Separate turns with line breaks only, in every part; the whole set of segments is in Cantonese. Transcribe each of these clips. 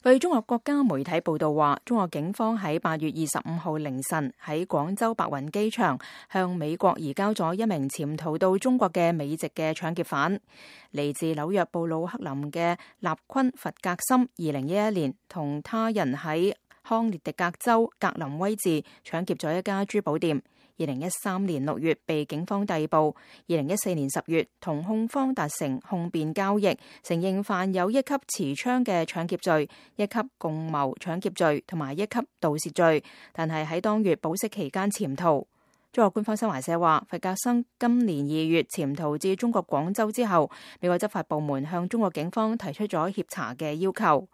據中國國家媒體報道話，中國警方喺8月25號凌晨喺廣州白雲機場向美國移交咗一名潛逃到中國嘅美籍嘅搶劫犯。嚟自紐約布魯克林嘅納昆弗格森，2011年同他人喺康涅狄格州格林威治搶劫咗一家珠寶店。2013年6月被警方逮捕，2014年10月同控方達成控辯交易，承認犯有一級持槍嘅搶劫罪、一級共謀搶劫罪同埋一級盜竊罪，但係喺當月保釋期間潛逃。中國官方新華社話，弗格森今年2月潛逃至中國廣州之後，美國執法部門向中國警方提出咗協查嘅要求。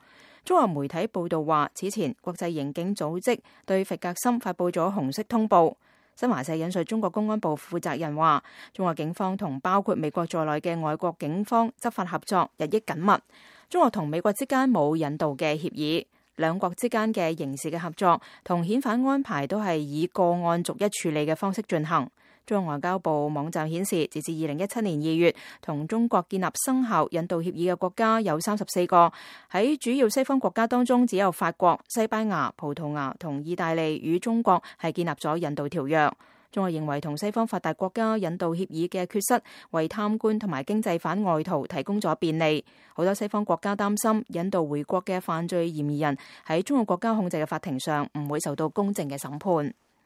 中國媒體報道話，此前國際刑警組織對弗格森發布咗紅色通報。新華社引述中國公安部負責人話，中國警方同包括美國在內嘅外國警方執法合作日益緊密。中國同美國之間冇引渡嘅協議，兩國之間嘅刑事嘅合作同遣返安排都係以個案逐一處理嘅方式進行。中國外交部網站顯示，截至2017年2月，同中國建立生效引渡協議嘅國家有34個，喺主要西方國家當中，只有法國、西班牙、葡萄牙同意大利與中國係建立咗引渡條約。中國認為同西方發達國家引渡協議嘅缺失，為貪官同埋經濟犯外逃提供咗便利。好多西方國家擔心引渡回國嘅犯罪嫌疑人喺中國國家控制嘅法庭上唔會受到公正嘅審判。